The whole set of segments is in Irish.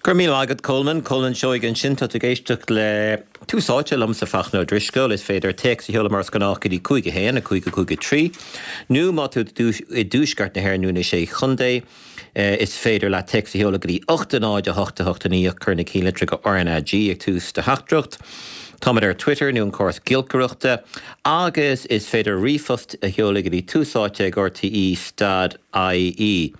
Go raibh míle maith agat Colman. Colman Seoighe ansin. Tá tú ag éisteacht le Tús Áite liomsa Fachtna Ó Drisceoil. Is féidir téacs a sheoladh mar is gnách go dtí 5 1 5 5 3 nó má tá tú i dtuaisceart na hÉireann nó na Sé Chontae is féidir leat téacs a sheoladh go dtí 8 0 8 8 9 ach cuir na cinnlitreacha RnaG ag tús do theachtaireacht. Táimid ar Twitter nó an córas giolcaireachta agus is féidir ríomhphost a sheoladh go dtí túsáite ag rte stad ie.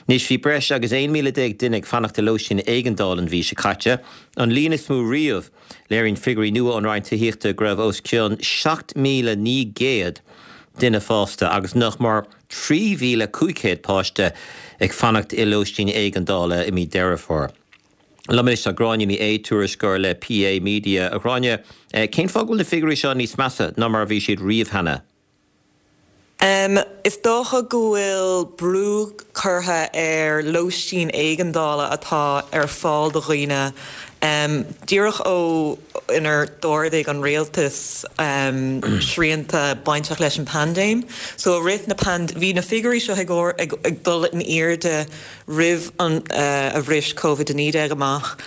Anois, bhí breis agus 11,000 duine ag fanacht i lóistín éigeandála an mhí seo caite, an líon is mó riamh. Léiríonn figiúirí nua ón Roinn Tithíochta go raibh os cionn 7,900 duine fásta agus nach mór 3,500 páiste ag fanacht i lóistín éigeandála i mí Deireadh Fómhair. Liom anois tá Gráinne Ní Aodha, tuairisceoir le PA Media. A Ghráinne, cén fáth go bhfuil na figiúirí seo níos measa ná mar a bhí siad riamh cheana? Is dócha go bhfuil brú curtha ar lóistín éigeandála atá ar fáil do dhaoine díreach ó inar d'ardaigh an rialtas srianta bainteach leis an paindéim. So i rith na paindéime, bhí na figiúirí seo ag dul in airde roimh an a bhris Covid-19 amach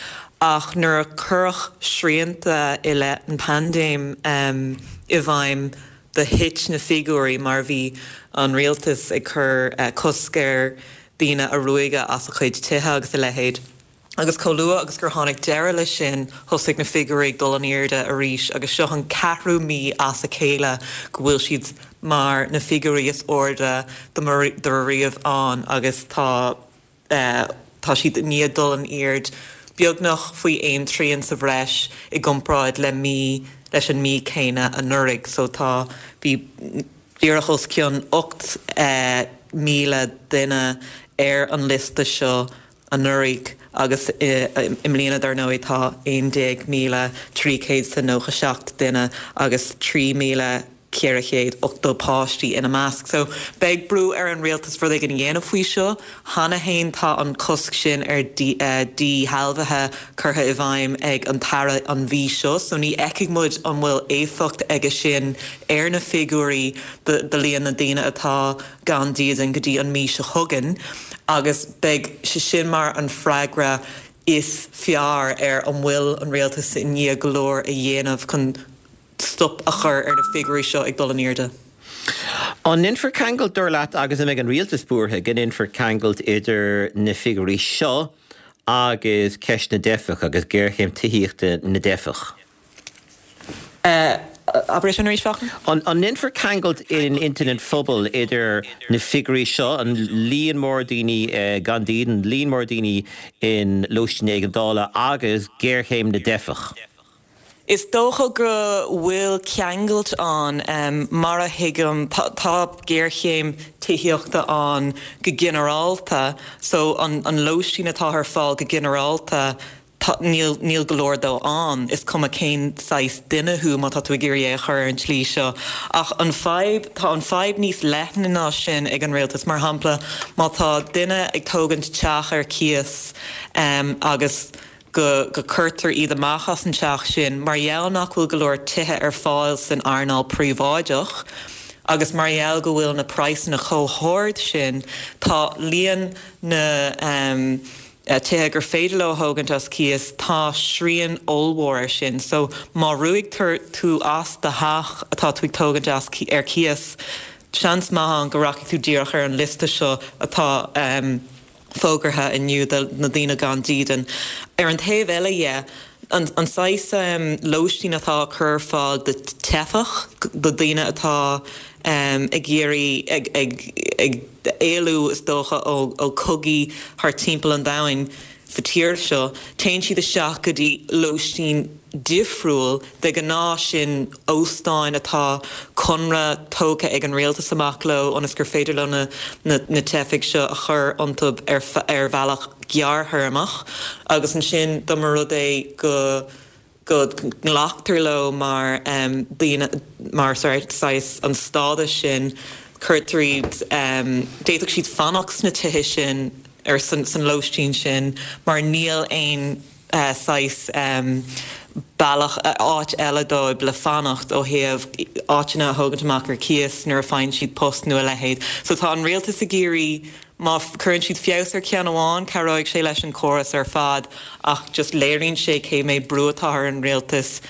ach nuair a cuireadh srianta i leith an paindéim i bhfeidhm, do thit na figiúirí mar bhí an rialtas ag cur cosc ar daoine a ruaigeadh as a chuid tithe agus a leithéid. Agus chomh luath agus gur tháinig deireadh leis sin thosaigh na figiúirí ag dul in airde arís agus seo an ceathrú mí as a chéile go bhfuil siad mar na figiúirí is airde dá raibh riamh ann agus tá Tá siad i ndiaidh dul in airde beagnach faoi aon trian sa bhreis i gcomparáid le mí leis an mí céanna anuraidh. So tá, bhí díreach os cionn 8,000 duine ar an liosta seo anuraidh agus i mbliana dar ndóigh tá 11,397 duine agus 3,000 480 páistí ina measc. So, beidh brú ar an rialtas rud éigin a dhéanamh faoi seo. Cheana fhéin tá an cosc sin ar dhíshealbhuithe curtha i bhfeidhm ag an tAire an mhí seo, so ní fheicfidh muid an bhfuil éifeacht aige sin ar na figiúirí do líon na ndaoine atá gan dídean go dtí an mí seo chugainn agus beidh sé sin mar an freagra is fearr ar an bhfuil an rialtas i ndiaidh go leor a dhéanamh chun stop a chur ar na figiúirí seo ag dul in airde. An ndéanfar ceangailt, dar leat, agus an mbeidh an rialtas buartha go ndéanfar ceangailt idir na figiúirí seo agus ceist na dteifeach agus géarchéim tithíochta na dteifeach? Abair é sin arís, Fachtna. An ndéanfar ceangailt in intinn an phobail idir na figiúirí seo, an líon mór daoine gan dídean, líon mór daoine in lóistín éigeandála agus géarchéim na dteifeach? Is dócha go bhfuil ceangailt ann. Mar a thuigim, tá géarchéim tithíochta ann go ginearálta, so an lóistín atá ar fáil go ginearálta, níl, níl go leor dó ann, is cuma cén saghas duine thú má tá tú ag iarraidh é a chur ar an tslí seo. Ach an fadhb, tá an fadhb níos leithne ná sin ag an rialtas. Mar shampla, má tá duine ag tógaint teach ar cíos agus, go gcuirtear iad amach as an teach sin mar gheall nach bhfuil go leor tithe ar fáil san earnáil príobháideach agus mar gheall go bhfuil na praghsanna chomh hard sin, tá líon na tithe gur féidir leo a thógaint as cíos, tá srian ollmhór air sin. So má ruaigtear tú as do theach atá tú ag tógaint as ar cíos, seans maith ann go rachaidh tú díreach ar an liosta seo atá. fógartha inniu do na daoine gan dídean. Ar an taobh eile dhe, an saghas lóistín atá á cur ar fáil do teifeach, do daoine atá ag iarraidh, ag éalú is dócha ó chogaí thar timpeall an domhain sa tír seo, téann siad isteach go dtí lóistín difriúil, de ghnáth sin óstáin atá conradh tógtha ag an rialtas amach leo ionas gur féidir leo na na teifigh seo a chur iontu ar ar bhealach gearrthéarmach agus ansin dá mba rud é go go nglactar leo mar daoine mar saghas an stádas sin cuirtear iad d'fhéadfadh siad fanacht sna tithe sin ar san lóistín sin mar níl aon saghas bealach, áit eile dóibh le fanacht ó thaobh áiteanna a thógaint amach ar cíos nuair a faigheann siad post nó a leithéid. So tá an rialtas ag iarraidh. Má chuireann siad feabhas ar cheann amháin, cabhróidh sé leis an chóras ar fad ach just léiríonn sé cé méid brú atá ar an rialtas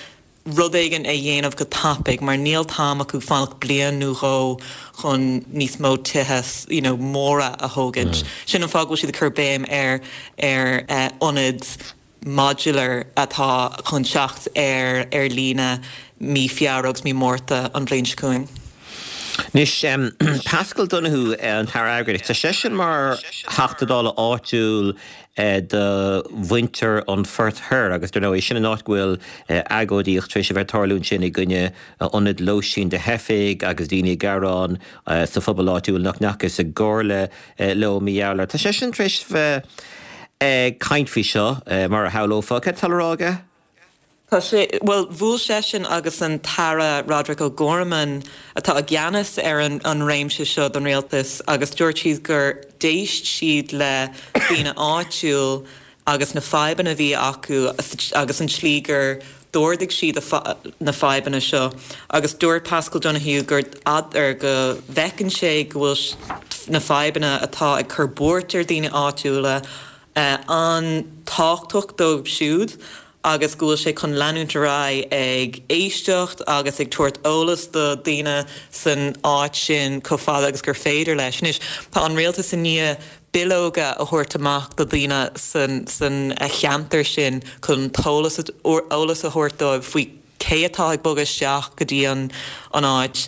rud éigin a dhéanamh go tapaidh mar níl t-am acu fanacht bliain nó dhó chun níos mó tithe you know móra a thógaint. Sin an fáth go bhfuil siad ag cur béim ar ar ionaid modular atá chun teacht ar ar líne mí Feabhra agus mí Márta an bhliain seo chugainn. Anois, Paschal Donohoe, an tAire Airgeadais, tá seisean mar Theachta Dála áitiúil do mhuintir an Phoirt Thoir agus dar ndóigh sin an áit go bhfuil agóidíocht tar éis a bheith ag tarlú ansin i gcoinne ionad lóistín do theifigh agus daoine ag gearán sa phobal áitiúil nach ndeachthas i gcomhairle leo mar gheall air. Tá seisean tar éis bheith ag caint faoi seo, mar a shamhlófá. Cad tá le rá aige? Tá sé, bhuel, bhuail seisean agus an tAire Roderic O'Gorman, atá i gceannas ar an réimse seo don rialtas, agus dúirt siad gur d'éist siad le daoine áitiúil agus na fadhbanna a bhí acu agus an tslí gur d'ardaigh siad na fadhbanna seo agus dúirt Paschal Donohoe gur ar go bhfeiceann sé go bhfuil na fadhbanna atá ag cur buairt ar daoine áitiúla an-tábhachtach dóibh siúd agus go bhfuil sé chun leanúint ar aghaidh ag éisteacht agus ag tabhairt eolas do daoine san áit sin chomh fada agus gur féidir leis. Anois, tá an rialtas i ndiaidh bileoga a thabhairt amach do dhaoine san cheantar sin chun eolas a thabhairt dóibh faoi cé atá ag bogadh isteach go dtí an áit,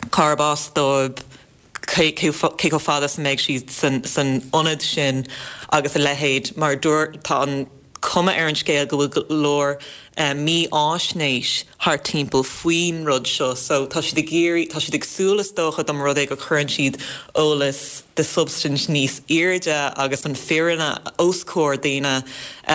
cárb as dóibh, cé chomh fada is a mbeidh siad san ionad sin agus a leithéid mar tá an cuma ar an scéal go bhfuil go leor mífháisnéis thart timpeall faoin rud seo so tá siad ag iarraidh, tá siad ag súil is dócha dá mba rud é go cuireann siad eolas de shubstaint níos airde agus an fírinne os comhair daoine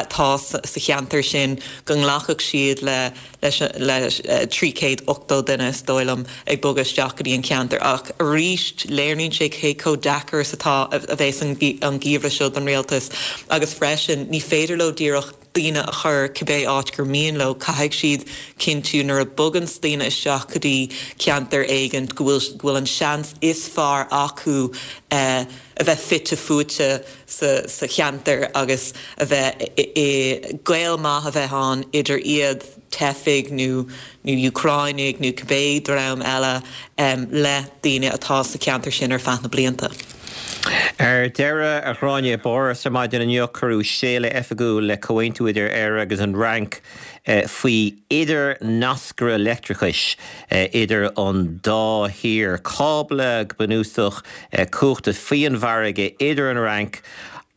atá sa cheantar sin go nglacfadh siad le leis le 380 duine, is dóigh liom, ag bogadh isteach go dtí an ceantar. Ach arís, léiríonn sé cé chomh deacair is atá a bheas an geimhreadh seo don rialtas agus freisin, ní féidir leo díreach daoine a chur cibé áit gur mian leo, caithfidh siad cinntiú nuair a boganns daoine isteach go dtí ceantar éigint go bhfuil go bhfuil an seans is fearr acu a bheith fite fuaite sa cheantar agus a bheith i gaol maith a bheith ann idir iad, teifigh nó nó Úcráinigh nó cibé dream eile, le daoine atá sa cheantar sin ar feadh na blianta. Ar deireadh, a Ghráinne, i bPáras ar maidin inniu cuireadh séala oifigiúil le comhaontú idir Éire agus an Fhrainc faoi idirnascaire leictreachais idir an dá thír, cábla go bunúsach cumhachta faoi an bhfarraige idir an Fhrainc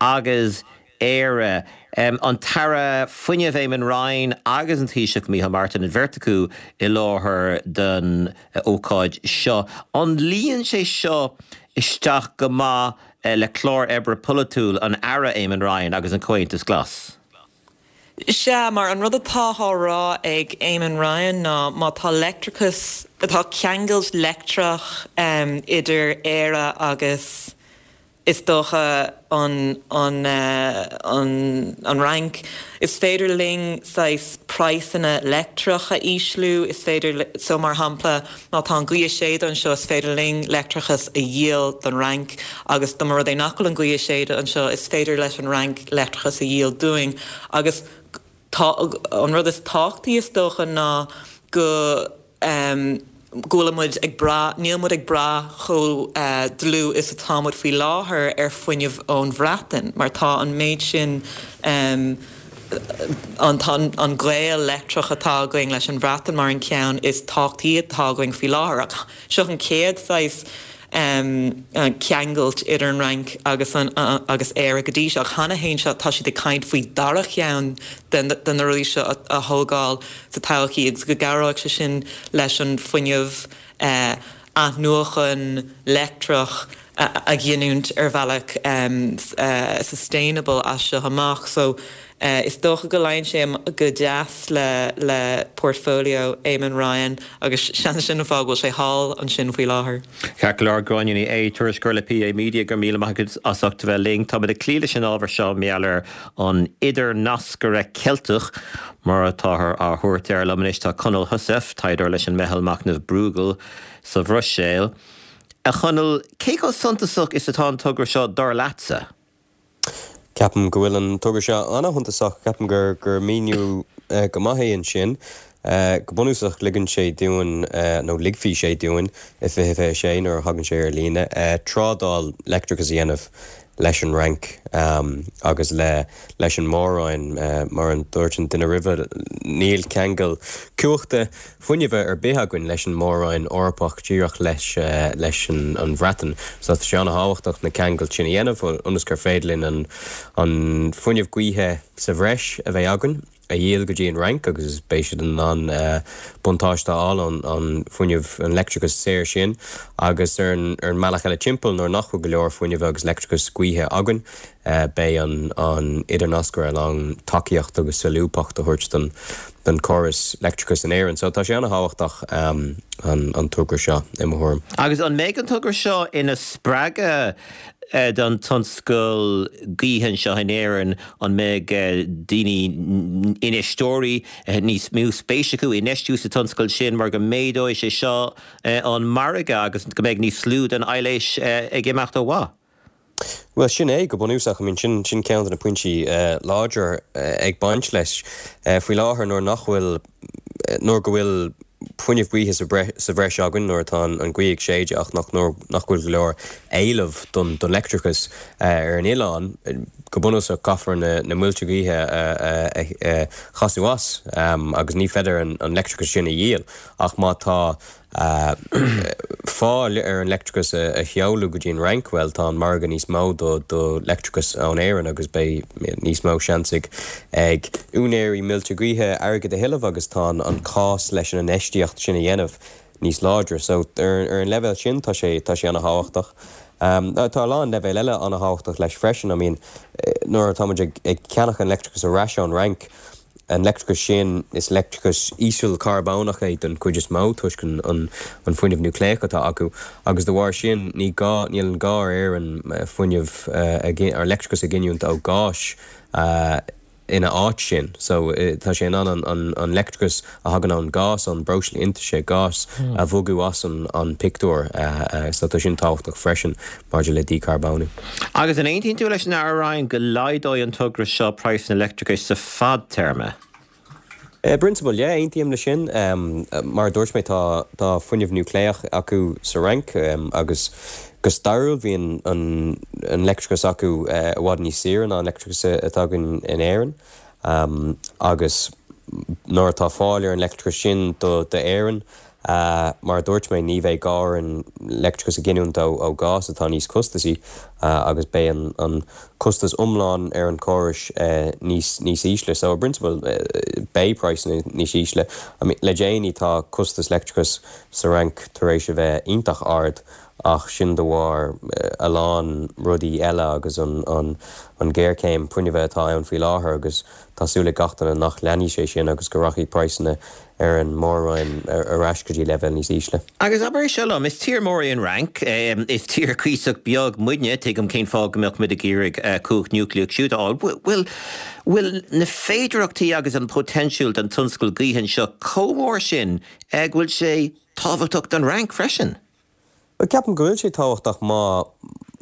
agus Éire. An tAire Fuinnimh Eamon Ryan agus an Taoiseach Micheál Martin, an bheirt acu i láthair don ócáid seo. An luíonn sé seo isteach go maith le clár oibre polaitiúil an Aire Eamon Ryan agus an Comhaontas Glas? Sea, mar an rud atá á rá ag Eamon Ryan ná má tá leictreachas, tá ceangailt leictreach idir Éire agus is dócha an an an an Fhrainc, is féidir linn saghas praghsanna leictreach a ísliú, is féidir, so mar shampla má tá an ghaoth ag séideadh anseo is féidir linn leictreachas a dhíol don Fhrainc agus dá mba rud é nach bhfuil an ghaoth ag séideadh anseo is féidir leis an Fhrainc leictreachas a dhíol dúinn agus tá an rud is tábhachtaí is dócha ná go go bhfuil muid ag brath, níl muid ag brath chomh dlúth is atá muid faoi láthair ar fuinneamh ón Bhreatain mar tá an méid sin an tá an gaol leictreach atá againn leis an Bhreatain mar an ceann is tábhachtaí atá againn faoi láthair. Ach seo an chéad saghas ceangailt idir an Fhrainc agus an agus Éire go dtí seo. Ach cheana féin seo tá siad ag caint faoi dara cheann de na rudaí seo a thógáil sa todhchaí agus go gcabhróidh sé sin leis an fuinneamh athnuachan leictreach a ghiniúint ar bhealach sustainable as seo amach. So is dócha go luíonn sé go deas le le portfolio Eamon Ryan agus seans sin an fáth go bhfuil sé thall ansin faoi láthair. Ceart go leor, Gráinne Ní Aodha, tuairisceoir le PA Media, go raibh míle maith agat as ucht a bheith linn. Táimid ag cloí leis an ábhar seo mar gheall ar an idirnascaire Ceilteach, mar atáthar á thabhairt air. Liom anois tá Conall Heussaff, taighdeoir leis an Meitheal Machnaimh Bruegel sa Bhruiséil. A Chonaill, cé chomh suntasach is atá an togra seo dar leatsa? Ceapaim go bhfuil an togra seo an-shuntasach. Ceapaim gur gur míniú go maith é ansin. Go bunúsach ligeann sé dúinn, nó ligfidh sé dúinn i 2026 nuair a thagann sé ar líne, trádáil leictreachais a dhéanamh leis an Fhrainc agus le leis an Mór-Roinn. Mar a dúirt an duine roimhe, níl ceangal cumhachta fuinnimh ar bith againn leis an Mór-Roinn Eorpach, díreach leis leis an Bhreatain. So tá sé an-thábhachtach na ceangailt sin a dhéanamh ionas gur féidir linn an an fuinneamh gaoithe sa bhreis a bheidh againn a dhíol go dtí an Fhrainc agus beidh siad in ann buntáiste a fháil ón an fuinneamh, an leictreachas saor sin agus ar an ar an mbealach eile timpeall nuair nach bhfuil go leor fuinnimh agus leictreachas gaoithe againn beidh an an idirnascaire in ann tacaíocht agus solúbthacht a thabhairt don don chóras leictreachais in Éirinn. So tá sé an-thábhachtach an an togra seo i mo thuairim. Agus an mbeidh an togra seo ina spreagadh don tionscal gaoithe anseo in Éirinn? An mbeidh daoine, infheisteoirí, níos mó spéis acu infheistiú sa tionscal sin mar go méadóidh sé seo an margadh agus go mbeidh níos lú den aibhléis ag imeacht ó mhaith? Bhuel, sin é go bunúsach. I mean, sin, sin ceann de na pointí láidre ag baint leis. Faoi láthair, nuair nach bhfuil, nuair go bhfuil fuinneamh gaoithe sa sa bhreis againn, nuair atá an ghaoth ag séideadh ach nach, nuair nach bhfuil go leor éileamh don, don leictreachas ar an oileán, go bunúsach caithfear na, na muilte gaoithe a, a, a chasadh as agus ní féidir an, an leictreachas sin a dhíol. Ach má tá fáil ar an leictreachas a sheoladh go dtí an Fhrainc, bhuel, tá an margadh níos mó do leictreachas ón Éirinn agus beidh níos mó seans ag ag úinéirí muilte gaoithe airgead a thuilleamh agus tá an cás leis an infheistíocht sin a dhéanamh níos láidre. So, ar an leibhéal sin, tá sé tá sé ana-thábhachtach. Tá a lán leibhéal eile ana-thábhachtach leis freisin. I mean, nuair atá muid ag ceannach an leictreachas ar ais ón Fhrainc, An leictreachas sin, is leictreachas ísealcharbónach é den chuid is mó toisc an fuinneamh núicléach atá acu agus de bharr sin ní gá, níl an gá ar Éirinn fuinneamh a, leictreachas a ghiniúint ó ghás ina áit sin. So tá sé in ann an leictreachas a thagann ón gás, ón breosla iontaise, gás, a bhogadh as an pictiúr. So tá sin tábhachtach freisin. maidir le dícharbónú. Agus an aontaíonn tú leis an Aire Ryan go laghdóidh an togra seo praghsanna leictreachais sa fadtéarma? I bprionsabal, yeah, aontaím leis sin. Mar a dúirt mé, tá tá fuinneamh núicléach acu sa Fhrainc agus go stairiúil bhí an an leictreachas acu i bhfad níos saoire ná an leictreachas atá againn in Éirinn. Agus nuair atá fáil ar an leictreachas sin do d'Éirinn, Mar a dúirt mé, ní bheidh gá orainn leictreachas a ghiniúint ó ghás atá níos costasaí agus beidh an costas iomlán ar an chóras níos níos ísle. So, i bprionsabal, beidh praghsanna níos ísle. I mean, le déanaí tá costas leictreachais sa Fhrainc tar éis a bheith iontach ard ach sin de bharr a lán rudaí eile agus an an ghéarchéim fuinnimh atá ann faoi láthair agus tá súil ag gach duine nach leanfaidh sé sin agus go rachaidh praghsanna ar an Mór-Roinn ar ais go dtí leibhéal níos ísle. Agus abair é seo liom, is tír mór í an Fhrainc, is tír cuíosach beag muidne, tuigim cén fáth go mbeadh muid ag iarraidh cumhacht núicléach siúd a fháil. Bhfuil, bhfuil na féidearthachtaí agus an potential don tionscal gaoithe anseo chomh mór sin go bhfuil sé tábhachtach don Fhrainc freisin? Bhuel, ceapaim go bhfuil sé tábhachtach má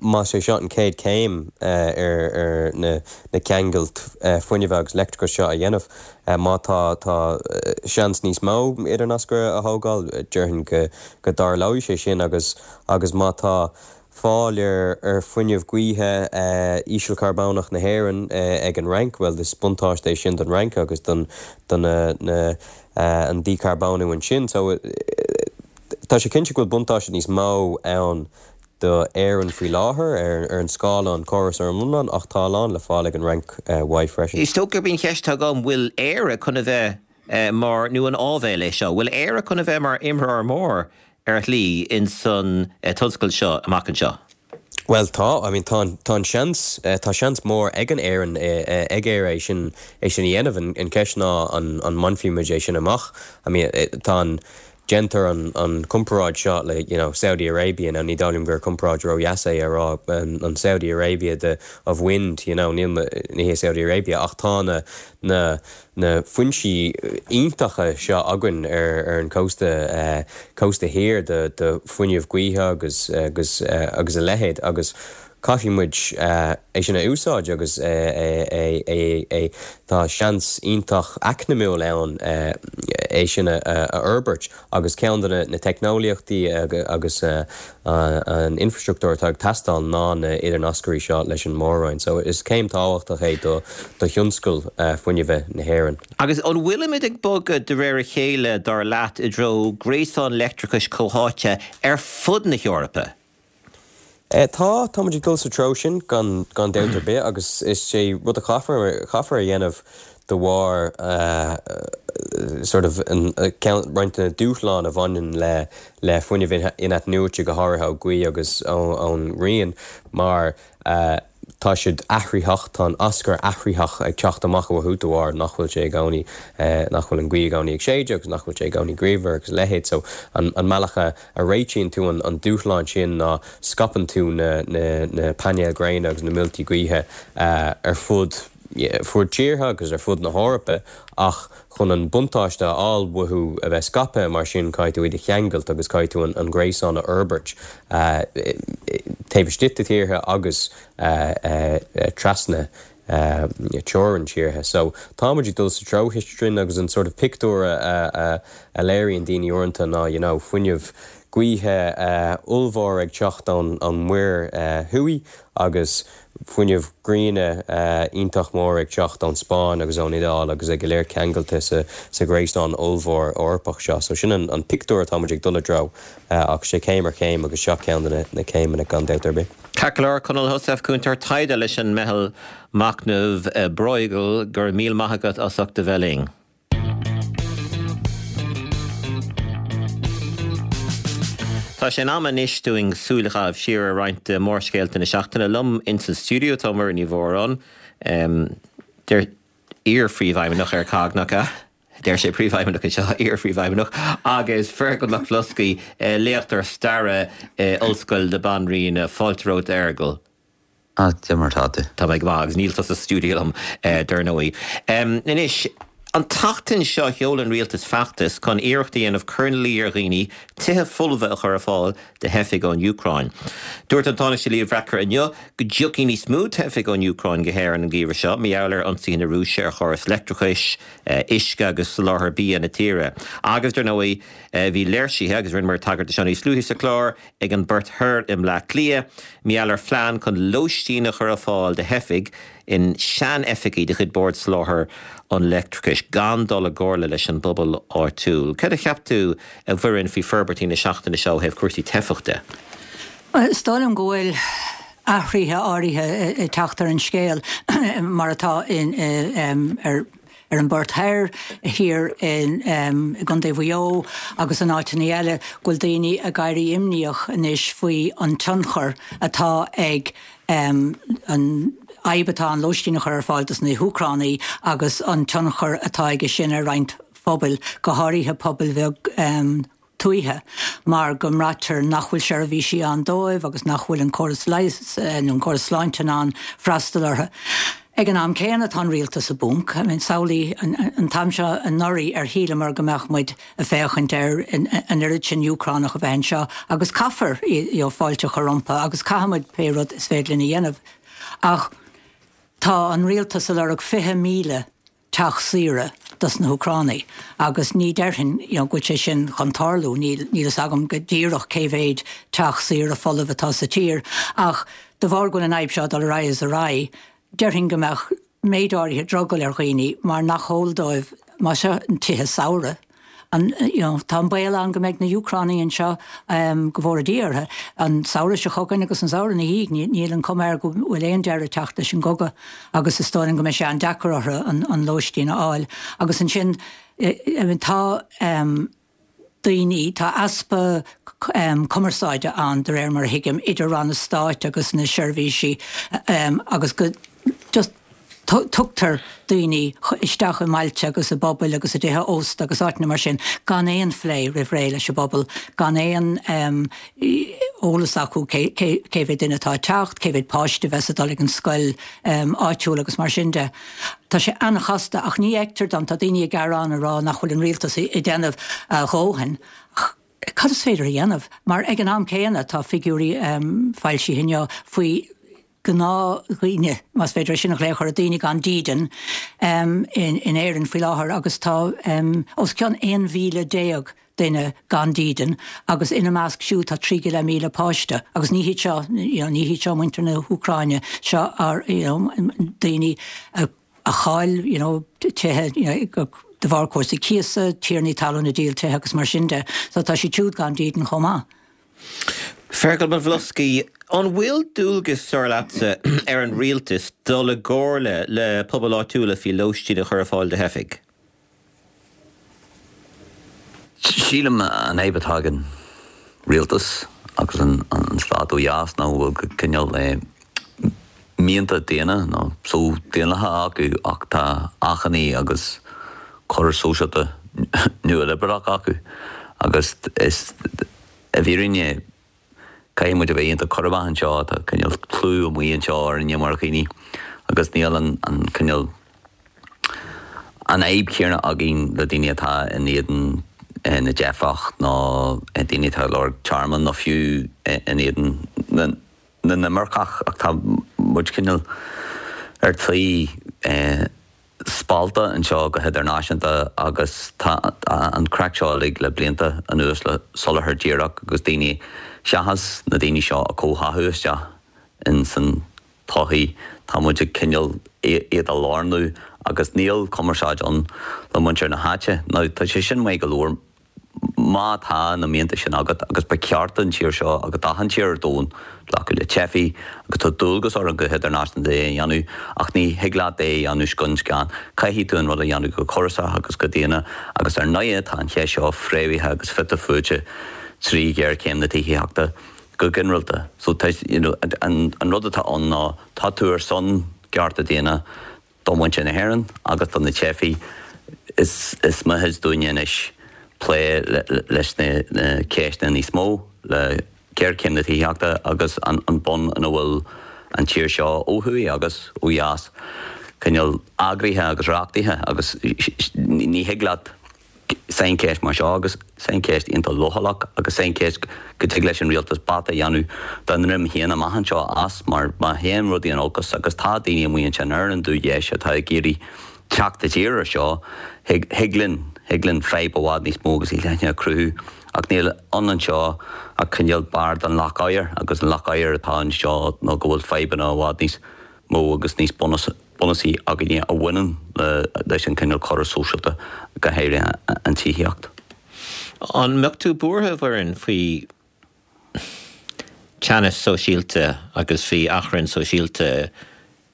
más é seo an chéad chéim ar ar na na ceangailt fuinnimh agus leictreachais seo a dhéanamh. Má tá tá seans níos mó idirnascaire a thógáil, déarfainn go go dtarlóidh sé sin agus agus má tá fáil ar ar fuinneamh gaoithe ísealcharbónach na hÉireann ag an Fhrainc, bhuel is buntáiste é sin don Fhrainc agus don do na na an dícharbónú ansin. So. Tá sé cinnte go bhfuil buntáiste níos mó ann do Éirinn faoi láthair ar an scála, an córas ar an iomlán, ach tá a lán le fáil ag an Fhrainc uaidh freisin. Is dócha gurb í an cheist atá agam, bhfuil Éire chun a bheith mar, nó an áibhéil é seo, bhfuil Éire chun a bheith mar imreoir mór ar shlí ins an tionscal seo amach anseo? Bhuel tá, I mean tá an, tá an seans, tá seans mór ag an Éirinn, ag Éire é sin, é sin a dhéanamh. An ceist ná an, an mbainfidh muid é sin amach? I mean tá an. Déantar an comparáid seo le you know Saudi Arabia, now ní dóigh liom gur comparáid ró-dheas é a rá an Saudi Arabia de of wind you know níl ní hé Saudi Arabia ach tá na na na foinsí iontacha seo againn ar ar an cósta cósta thiar de de fuinneamh gaoithe agus agus agus a leithéid agus Caithfidh muid é sin a úsáid agus é tá seans iontach eacnamúil ann é sin a fhorbairt agus ceann de na teicneolaíochtaí agus an infrastruchtúr atá ag teastáil ná na idirnascairí seo leis an mór-roinn. So is céim tábhachtach é do thionscal fuinnimhe na hÉireann. Agus an bhfuilimid ag bogadh de réir a chéile, dar leat, i dtreo gréasán leictreachais comhtháite ar fud na hEorpa? Tá, tá muid ag dul sa treo sin gan gan dabht ar bith agus is é rud a chaithfear chaithfear a dhéanamh de bharr sort of an ceann roinnt de na dúshláin a bhaineann le le fuinneamh in-athnuaite go háirithe ó ghaoth agus ón ngrian mar Tá siad athraitheach, tá an aschur athraitheach ag teacht amach uathu de bharr nach bhfuil sé i gcónaí, nach bhfuil an ghaoth i gcónaí ag séideadh agus nach bhfuil sé i gcónaí grianmhar agus a leithéid. So an bealach a réitíonn tú an dúshlán sin ná scaipeann tú na na painéil gréine agus na muilte gaoithe ar fud fud tíortha agus ar fud na hEorpa ach chun an buntáiste a fháil uathu a bheith scaipthe mar sin caithfidh tú iad a cheangailt agus caithfidh tú an gréasán a fhorbairt taobh istigh de tíortha agus trasna teorainn tíortha. So tá muid ag dul sa treo sin agus an sort of pictiúr a léiríonn daoine uaireanta ná you know fuinneamh gaoithe ollmhór ag teacht ón Muir Thuaidh agus fuinneamh gréine iontach mór ag teacht ón Spáinn agus ón Iodáil agus é go léir ceangailte sa ghréasán ollmhór Eorpach seo. So sin an pictiúr atá muid ag dul i dtreo ach sé céim ar chéim agus seo ceann de na céimeanna gan dabht ar bith. Ceart go leor, Conall Heussaff, Cúntóir Taighde leis an Meitheal Machnaimh Bruegel, go raibh míle maith agat as ucht a bheith linn. Tá sé in am anois dúinn súil a chaitheamh siar ar roinnt de mhórscéalta na seachtaine. Liom ins an stiúideo tá Muireann Ní Mhóráin, iar-phríomhfheidhmeannach ar COGG, nach ea? Deir sé príomhfheidhmeannach anseo, iar-phríomhfheidhmeannach, agus Feargal Mac Bhloscaidh, léachtóir staire i Ollscoil na Banríona. Fáilte romhat, a Fheargail. Ah, cad é mar atá tú? Tá mé go maith, agus níl tú sa stiúideo liom, dar ndóigh. Anois, an tseachtain seo sheol an rialtas feachtas chun iarracht a dhéanamh cur ina luí ar dhaoine tithe folmha a chur ar fáil do theifigh ón Úcráin. Dúirt an Tánaiste Leo Varadkar inniu go dtiocfaidh níos mó teifigh ón Úcráin go hÉirinn an geimhreadh seo mar gheall ar ionsaithe na Rúise ar chóras leictreachais, uisce agus soláthar bia na tíre. Agus, dar ndóigh, bhí léirsithe, agus rinneamar tagairt do seo níos luaithe sa chlár, ag an bPort Thoir i mBleá Cliath, mar gheall ar phlean chun lóistín a chur ar fáil do theifigh in sean-oifigí de chuid Bord Soláthair an Leictreachais, gan dul i gcomhairle leis an bpobal áitiúil. Céard a cheap tú, a Mhuireann, faoi forbairtí na seachtaine seo ó thaobh cúrsaí teifeach de? Is dóigh liom go bhfuil athruithe áirithe ag teacht ar an scéal mar atá in ar ar an bPort Thoir, thiar i gContae Mhaigh Eo agus in áiteanna eile, go bhfuil daoine ag éirí imníoch anois faoi an tionchar atá ag an fhadhb atá an lóistín a chur ar fáil dos na hÚcránaigh agus an tionchar atá aige sin ar roinnt phobail, go háirithe pobail bheag. tuaithe mar go mbraitear nach bhfuil seirbhísí ann dóibh agus nach bhfuil an córas leighis nó an córas sláinte in ann freastal orthu. Ag an am céanna tá an rialtas i bponc. I mean samhlaigh an t-am seo anuraidh ar shíleamar go mbeadh muid ag féachaint ar an oiread sin Úcránach a bheith anseo agus caithfear you know fáilte a chur rompu agus caithfidh muid pé rud is féidir linn a dhéanamh ach tá an rialtas ag lorg 20,000 teach saoire dos na hÚcránaigh agus ní déarfainn you know go bhfuil sé sin chun tarlú, níl níl fhios agam go díreach cé mhéid teach saoire folamh atá sa tír ach de bharr go bhfuil an fhadhb seo ag dul ar aghaidh is ar aghaidh, déarfainn go mbeadh méid áirithe drogall ar dhaoine mar nach eol dóibh má seo an tithe samhraidh. An, you know, tá an baol ann go mbeidh na hÚcránaigh anseo, go bhfóire Dia orthu, an samhradh seo chugainn agus an samhradh ina dhiaidh. Níl an cuma air go bhfuil aon deireadh ag teacht leis an gcogadh agus is dóigh liom go mbeidh sé an-deacair orthu an lóistín a fháil. Agus ansin, I mean, tá daoine, tá easpa cumarsáide ann, de réir mar a thuigim, idir ranna stáit agus na seirbhísí agus go, just. Tugtar daoine isteach i mbailte agus i bpobail agus i dtithe ósta agus áiteanna mar sin gan aon phlé roimh ré leis an bpobal, gan aon eolas acu cé mhéad duine atá ag teacht, cé mhéad páiste a bheas ag dul ag an scoil áitiúil agus mar sin de. Tá sé an-chasta ach ní fheictear dom, tá daoine ag gearán ag rá nach bhfuil an rialtas ag déanamh a dhóthain ach cad is féidir a dhéanamh? Mar ag an am céanna tá figiúirí foilsithe inniu faoi gnáthdhaoine, más féidir é sin a ghlaoch orthu, daoine gan dídean, in Éirinn faoi láthair agus tá os cionn 11,000 duine gan dídean agus ina measc siúd tá 3,500 páiste agus ní hiad seo, you know, ní hiad seo muintir na hÚcráine, seo you know, daoine a chaill, you know, tithe, you know, de bharr cúrsaí cíosa, tiarnaí talún ag díol tithe agus mar sin de. So tá siad siúd gan dídean chomh maith. Fergal Mac Bhloscaidh, An bhfuil dualgas, dar leatsa, ar an rialtas dul i gcomhairle le pobail áitiúla faoi lóistín a chur ar fáil do theifigh? Sílim an fhadhb atá ag an rialtas agus an stát ó dheas ná go bhfuil cineál mianta daonna nó só-daonlathacha acu ach tá achainí agus córas sóisialta nua-liobrálach acu agus is i bhfírinne caithfidh muid a bheith iontach cúramach anseo, tá cineál clú amuigh anseo orainne mar dhaoine agus níl an cineál an fhadhb chéanna againn le daoine atá in éadan na dteifeach nó daoine atá ag lorg tearmann nó fiú in éadan na na n-imirceach ach tá muid cineál ar tí spallta anseo go hidirnáisiúnta agus tá an craic seo uilig le blianta anuas le soláthar díreach agus daoine seachas na daoine seo a chomhtháthú isteach in san tsochaí tá muid ag cineál iad a lárnú agus níl cumarsáid ann le muintir na háite. Now tá sé sin maith go leor Má tá na mianta sin agat, agus ba cheart don tír seo agus d'achan tír ar domhan glacadh le teifigh, agus tá dualgas orainn go hidirnáisiúnta é a dhéanamh, ach ní thig leat é a dhéanamh scun scan. Caithfidh tú an rud a dhéanamh go córasach agus go daonna, agus ar ndóighe tá an cheist seo fréamhaithe agus fite fuaite trí ghéarchéim na tithíochta go ginearálta. So tá, you know, an rud atá ann ná tá tú ar son cearta daonna, Do mhuintir na hÉireann agus do na teifigh, is mithid dúinne anois plé leis na ceisteanna níos mó, le géarchéim na tithíochta agus an bun ina bhfuil an tír seo ó thuaidh agus ó dheas cineál eagraithe agus reachtaithe agus ní thig leat saincheist mar seo agus saincheist iontach leochaileach agus saincheist go dtig leis an rialtas bata a dhéanamh dá ndroim féin amach anseo as mar má théann rudaí in olcas agus tá daoine amuigh ansin ar an dúdheis atá ag iarraidh teacht i dtír ar seo thig linn thig linn fadhb i bhfad níos mó agus níos leithne a chruthú ach níl ann anseo ach cineál barr den leac oighir agus an leac oighir atá anseo ná go bhfuil fadhbanna i bhfad níos mó agus níos bunúsaí againne a bhaineann leis an cineál córas sóisialta, go háirithe an tithíocht. An mbeadh tú buartha, a Mhuireann, faoi teannas sóisialta agus faoi achrann sóisialta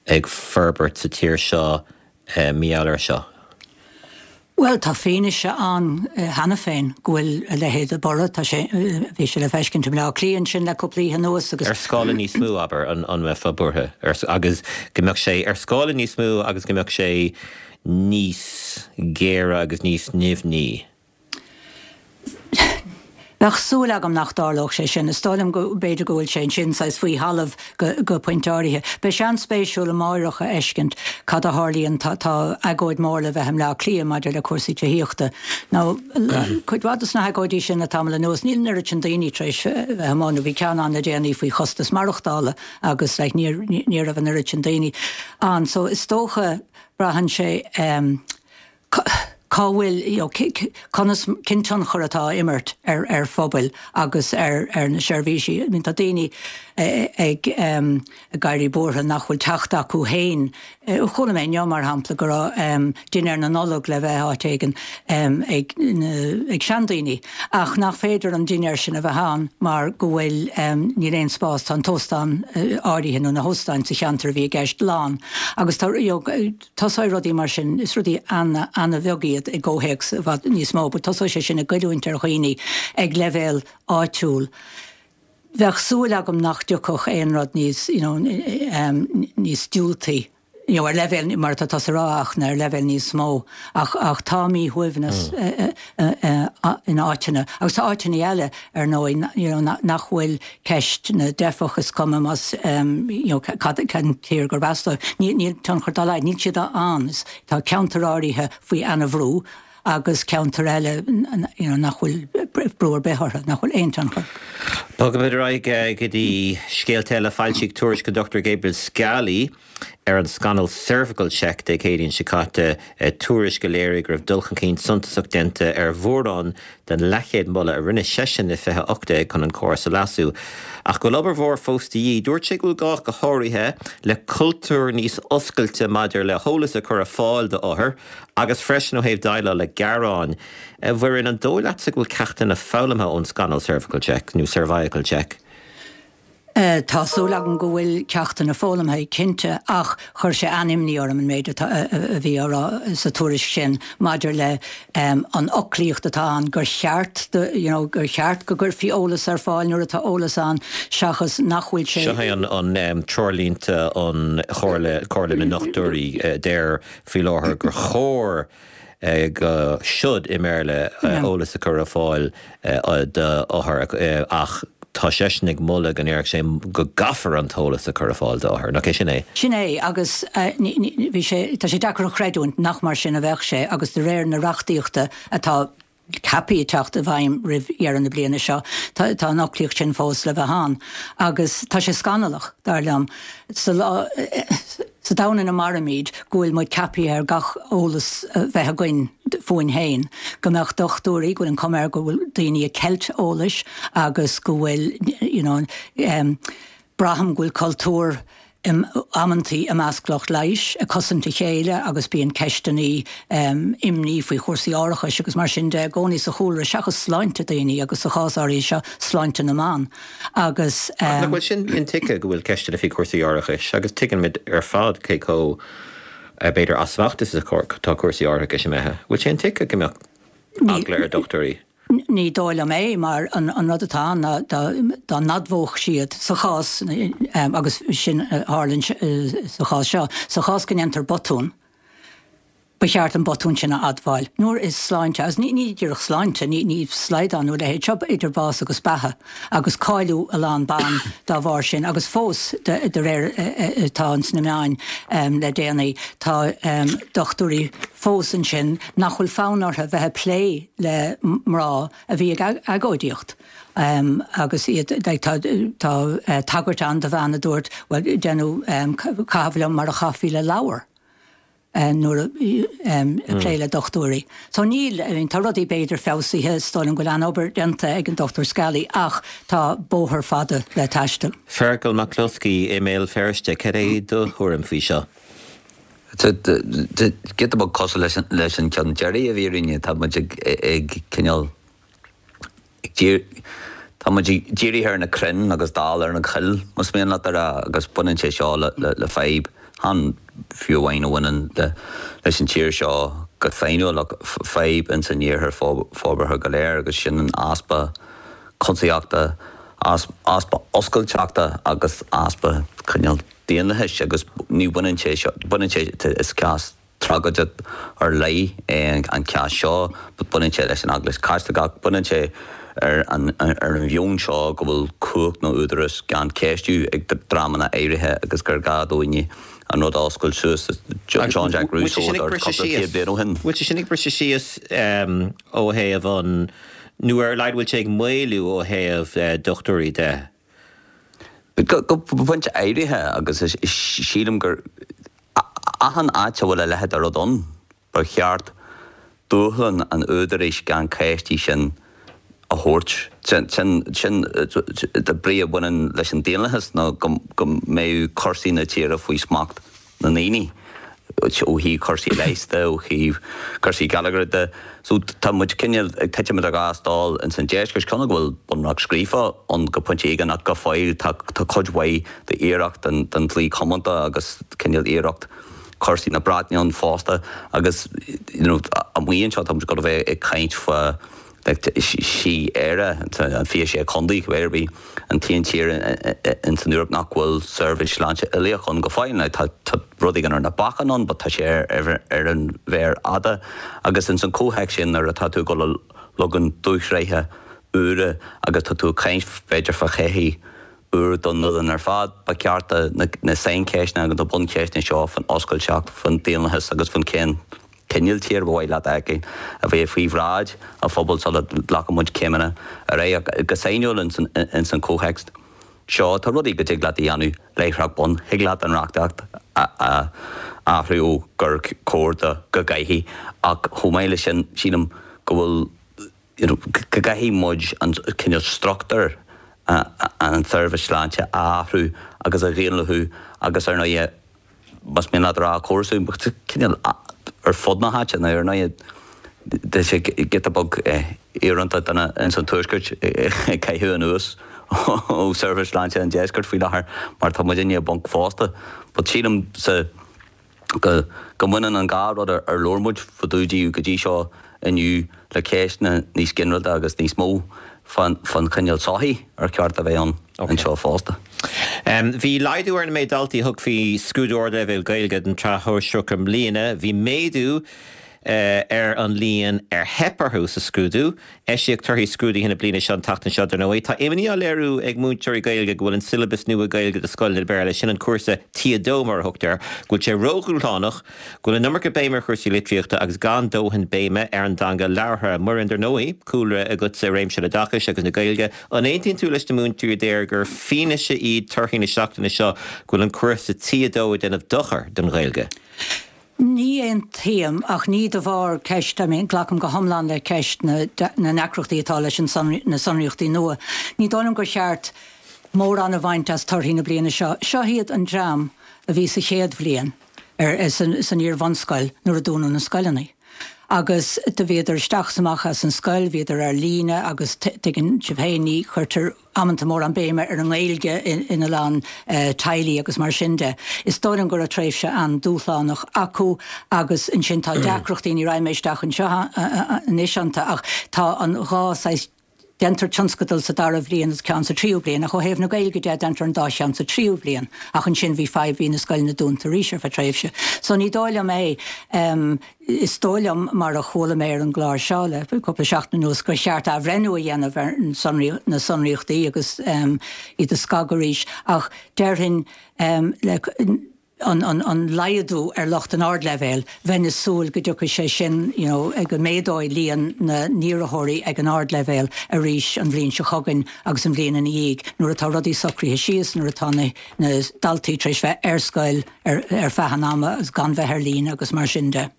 ag forbairt sa tír seo mar gheall air seo? Bhuel, tá fianaise ann cheana féin go bhfuil a leithéid de borradh, tá sé, bhí sé le feiscint i mBleá Cliath ansin le cúpla oíche anuas agus. Ar scála níos mó, abair, an mbeifeá buartha agus go mbeadh sé ar scála níos mó agus go mbeadh sé níos géire agus níos nimhní? Bheadh súil agam nach dtarlódh sé sin. Is dóigh liom go b'fhéidir go bhfuil sé ansin saghas faoi thalamh go pointe áirithe. Beidh sé an-spéisiúil amáireach a fheiscint cad a tharlaíonn. Tá tá agóid mór le bheith i mBleá Cliath maidir le cúrsaí tithíochta. Now cuid mhaith dos na hagóidí sin le tamall anuas níl an oiread sin daoine tar éis bheith amuigh nó bhí ceann ann le déanaí faoi chostas maireachtála agus like ní ní raibh an oiread sin daoine ann. So is dócha braitheann sé cá bhfuil, you know, conas, cén tionchar atá á imirt ar ar phobail agus ar ar na seirbhísí. I mean tá daoine ag ag éirí buartha nach bhfuil teacht acu féin. Chuala mé inniu mar shampla go raibh dinnéar na Nollag le bheith áit éigin ag ag seandaoine ach nach féidir an dinnéar sin a bheith ann mar go bhfuil níl aon spás, tá an t-óstán áirithe nó na hóstáin sa cheantar a bhí i gceist lán agus tá you know, Tosóidh rudaí mar sin, is rudaí an-bheag iad i gcomhthéacs i bhfad níos mó, but tosóidh sé sin ag goilliúint ar dhaoine ag leibhéal áitiúil. Bheadh súil agam nach dtiocfadh aon rud níos, you know, níos diúltaí. you know, ar leibhéal, mar atá tusa a rá, ach ar leibhéal níos mó. Ach, ach tá míshuaimhneas in áiteanna, agus tá áiteanna eile, ar ndóigh, you know, nach bhfuil ceist na dteifeach, is cuma más, you know, cad, cén tír gurb as dóibh, níl, níl tionchar dá laghad, níl siad ann. Tá ceantair áirithe faoi ana-bhrú agus ceantair eile, you know, nach bhfuil brú ar bith orthu, nach bhfuil aon tionchar. Bogfaimid ar aghaidh go dtí scéalta eile. Foilsíodh tuairisc an Dr Gabriel Scally ar an scannal Cervical Check Dé Céadaoin seo caite, tuairisc a léirigh go raibh dul chun cinn suntasach déanta ar mhórán den leathchéad moladh a rinne seisean i 2018 chun an córas a leasú. Ach go bhfuil obair mhór fós de dhíth. Dúirt sé go bhfuil gá go háirithe le cultúr níos oscailte maidir le heolas a chur ar fáil d'othair agus freisin ó thaobh déileáil le gearáin. A Mhuireann, an dóigh leatsa go bhfuil ceachtanna foghlamtha ón scannal Cervical Check, nó Cervical Check? Tá súil agam go bhfuil ceachtanna foghlamtha, cinnte, ach chuir sé an-imní orm an méid atá, a bhí á rá sa tuairisc sin maidir le an fhoclaíocht atá ann, gur cheart do, you know, gur cheart go gcuirfí eolas ar fáil nuair atá eolas ann seachas nach bhfuil sé. Seo é an treoirlínte an Chomhairle, Comhairle na nDochtúirí a deir faoi láthair gur chóir go should i mBéarla eolas a chur ar fáil d'othair ach tá seisean ag moladh go ndéarfadh sé go gcaithfear an t-eolas a chur ar fáil d'othair. Nach é sin é? Sin é agus bhí sé, tá sé deacair a chreidiúint nach mar sin a bheadh sé agus de réir na reachtaíochta atá ceaptha teacht i bhfeidhm roimh dheireadh na bliana seo. Tá an fhoclaíocht sin fós le bheith ann. Agus tá sé scannalach, dar liom, sa lá, sa domhan ina mairimid, go bhfuil muid ceaptha ar gach eolas a bheith againn fúinn féin, go mbeadh dochtúirí, go bhfuil an chuma air go bhfuil daoine ag ceilt eolais agus go bhfuil, you know, Braithim go bhfuil cultúr amantaí i measc lucht leighis ag cosaint a chéile agus bíonn ceisteanna imní faoi chúrsaí árachais agus mar sin de i gcónaí sa chúlra seachas sláinte daoine agus sa chás áirithe seo sláinte na mban agus. Ach nach bhfuil sin intuigthe go bhfuil ceisteanna faoi chúrsaí árachais agus tuigimid ar fad cé chomh b'fhéidir as smacht is atá cúrsaí árachais imithe. Bhfuil sé intuigthe go mbeadh eagla ar dhochtúirí? Ní dóigh liom é, mar an rud atá ann ná dá n-admhódh siad sa chás, agus sin a tharla sa chás seo, sa chás go ndéantar botún, ba cheart an botún sin a admháil. Nuair is sláinte, agus ní díreach sláinte, ní slaghdán nó a leithéid seo, idir bás agus beatha, agus cailleadh a lán ban dá bharr sin, agus fós, de réir atá ins na meáin le déanaí, tá dochtúirí fós ansin nach bhfuil fonn orthu bheith ag plé le mná a bhí ag agóidíocht agus iad like tá tá tagairt ann do bhean a dúirt bhuel déanadh caitheamh liom mar a chaithfí le ladhar nuair a ag plé le dochtúirí. So níl, I mean tá rudaí b'fhéidir feabhsaithe, is dóigh liom go bhfuil an-obair déanta ag an Dr Scally ach tá bóthar fada le taisteal. Feargal Mac Cluscaí i mBéal Feirste, cad é do thuairim faoi seo? Giota beag cosúil leis an ceann deiridh a bhí againn, tá muid ag cineál, tá muid dírithe ar na crainn agus dall ar an choill, más mian leat a rá, agus baineann sé seo le fadhb, chan fiú amháin a bhaineann leis an tír seo go sainiúil ach fadhb ins an iarthar forbartha go léir agus sin an easpa cuntasaíochta, easpa oscailteachta agus easpa cineál daonlathais agus ní bhaineann sé seo, baineann sé, is cás tragóideach ar leith é an cás seo but baineann sé leis an Eaglais Chaitliceach, baineann sé ar an ar an mheon seo go bhfuil cumhacht nó údarás gan ceistiú ag dreamanna áirithe agus gur gá dúinne an rud a oscailt suas. Jean-Jacques Rousseau a dúirt cúpla céad bliain ó shin. Bhfuil sé sin ag briseadh síos ó thaobh an, nó ar a laghad bhfuil sé ag maolú ó thaobh dochtúirí de? Go pointe áirithe, agus sílim gur achan áit a bhfuil a leithéid de rud ann, ba cheart dúshlán an údaráis gan ceistiú sin a thabhairt. Sin an brí a bhaineann leis an daonlathas, ná go mbeadh cúrsaí na tíre faoi smacht na ndaoine, ó thaobh cúrsaí leighis de, ó thaobh cúrsaí geilleagair de. So tá muid cineál ag titim idir dhá stól ins an deisceart, cé go bhfuil bunreacht scríofa ann go pointe éigin ach go fóill tá cuid mhaith d'iarracht den dlí comónta agus cineál iarracht cúrsaí na Breataine ann fosta agus you know amuigh anseo tá muid ag dul a bheith ag caint fá sí Éire, an 26 contae, cibé ar bith, an t-aon tír ins an Eoraip nach bhfuil seirbhís sláinte uilíoch ann go fóill. Now tá. rud éigin ar na bacáin ann but tá sé ar an mhéar fhada agus ins an chomhthéacs sin nuair atá tú ag dul a leagan dúshraithe úra agus tá tú ag caint b'fhéidir fá shochaí úr don oileán ar fad, ba cheart na saincheisteanna agus na buncheisteanna seo faoin oscailteacht, faoin daonlathas agus faoin cén cineál tír ba mhaith leat a fheiceáil a bheith faoi bhráid an phobail sula nglacann muid céimeanna ar aghaidh. Ach go sainiúil ins an chomhthéacs seo, tá rudaí go dtig leat a dhéanamh láithreach bonn. Thig leat an reachtaíocht a athrú ó gur cóir do go gcaithfidh ach chomh maith leis sin sílim go bhfuil you know go gcaithfidh muid an cineál struchtúr an tseirbhís sláinte a athrú agus a dhaonlathú agus ar ndóighe más mian leat a rá córasú cineál ar fud na háite nó ar ndóighe tá sé giota beag íorónta duine ins an tuaisceart ag caitheamh anuas ó seirbhís sláinte an deiscirt faoi láthair mar tá muidinne i bponc fosta but sílim sa go go mbaineann an dhá rud ar labhair muid fá dtaobh díobh go dtí seo inniu le ceisteanna níos ginearálta agus níos mó fán chineál sochaí ar cheart a bheith ann anseo fosta. Bhí laghdú ar an méid daltaí a thug faoi scrúdú ardleibhéil Gaeilge don tsraith shóisearach i mbliana. Bhí méadú ar an líon ar theip orthu sa scrúdú. Eisíodh torthaí scrúduithe na bliana seo an tseachtain seo, dar ndóigh. Tá imní á léiriú ag múinteoirí Gaeilge go bhfuil an siollabas nua Gaeilge do scoileanna Béarla, sin an cúrsa T2 mar a thugtar air, go bhfuil sé ródhúshlánach, go bhfuil an iomarca béime ar chúrsaí litríochta agus gan dóthain béime ar an dteanga labhartha. Muireann, dar ndóigh, cúlra agatsa i réimse an oideachais agus na Gaeilge. An aontaíonn tú leis na múinteoirí a deir gur fianaise iad torthaí na seachtaine seo go bhfuil an cúrsa T2 ag déanamh dochar don Ghaeilge? Ní aontaím, ach ní de bharr ceist, I mean, glacaim go hiomlán le ceist na na ndeacrachtaí atá leis an na sonraíochtaí nua. Ní dóigh liom gur cheart mórán a bhaint as torthaí na bliana seo. Seo iad an dream a bhí sa chéad bhliain ar san san iar-bhunscoil nuair a dúnadh na scoileanna. Agus do bhíodar isteach is amach as an scoil, bhíodar ar líne agus tuigeann sibh féin, ní chuirtear amanta mórán béime ar an nGaeilge ina lán teaghlaigh agus mar sin de. Is dóigh liom go raibh tréimhse an-dúshlánach acu agus ansin tá deacrachtaí, ní raghaidh mé isteach anseo anois iontu ach tá an dhá saghas, déantar tionscadal sa dara bhliain agus ceann sa tríú bliain ach ó thaobh na Gaeilge de déantar an dá cheann sa tríú bliain ach ansin bhí fadhb, bhí na scoileanna dúnta arís ar feadh tréimhse. So ní dóigh liom é. Is dóigh liom, mar a chuala mé ar an gclár seo le cúpla seachtain anuas, gur cheart athbhreithniú a dhéanamh ar na sonraíochtaí agus iad a scagadh arís, ach déarfainn le an laghdú ar lucht an ardleibhéil, bheinn ag súil go dtiocfaidh sé sin, you know, go méadóidh líon na n-iarrthóirí ag an ardleibhéal arís an bhliain seo chugainn agus an bhliain ina dhiaidh, nuair atá rudaí socraithe síos, nuair atá na daltaí tar éis bheith ar scoil. ar feadh an ama agus gan bheith ar líne agus mar sin de.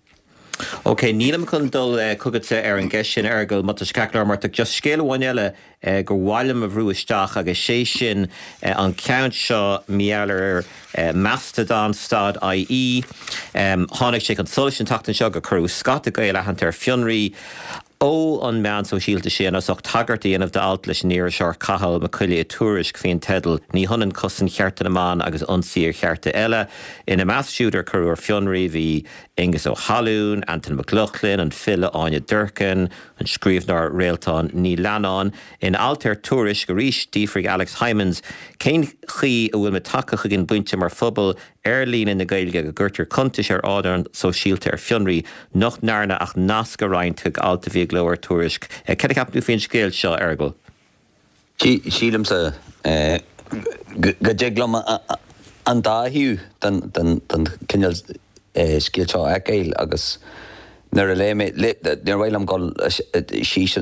Ok, nílim chun dul chugatsa ar an gceist sin, Fheargal, má tá sé ceart go leor, mar tá just scéal amháin eile gur mhaith liom a bhrú isteach agus sé sin an ceann seo mar gheall ar Mastodon stad ie. Tháinig sé chun solais an tseachtain seo gur cuireadh scata Gael aitheanta ar fionraí ó an meán sóisialta sin as ucht tagairt a dhéanamh d'alt leis an iriseoir Cathal Mac Coille i Tuairisc faoin teideal 'Ní hionann cosaint chearta na mban agus ionsaí ar chearta eile'. Ina measc siúd ar cuireadh ar fionraí bhí Aengus Ó hAlúin, Antain Mac Lochlainn, an file Áine Durkin, an scríbhneoir Réaltán Ní Leannáin. In alt ar Tuairisc arís d'fhiafraigh Alex Hijmans cén chaoi a bhfuil muid tagtha chuig an bpointe mar phobal ar líne na Gaeilge go gcuirtear cuntais ar ardán sóisialta ar fionraí nach ndearna ach nasc a roinnt chuig alt a bhí i gcló ar Tuairisc. Cad a cheapann tú faoin scéal seo, a Fheargail? Sílimse go dtig liom an dá thaobh den chineál scéal seo a fheiceáil agus nuair a léigh mé, níor mhaith liom dul síos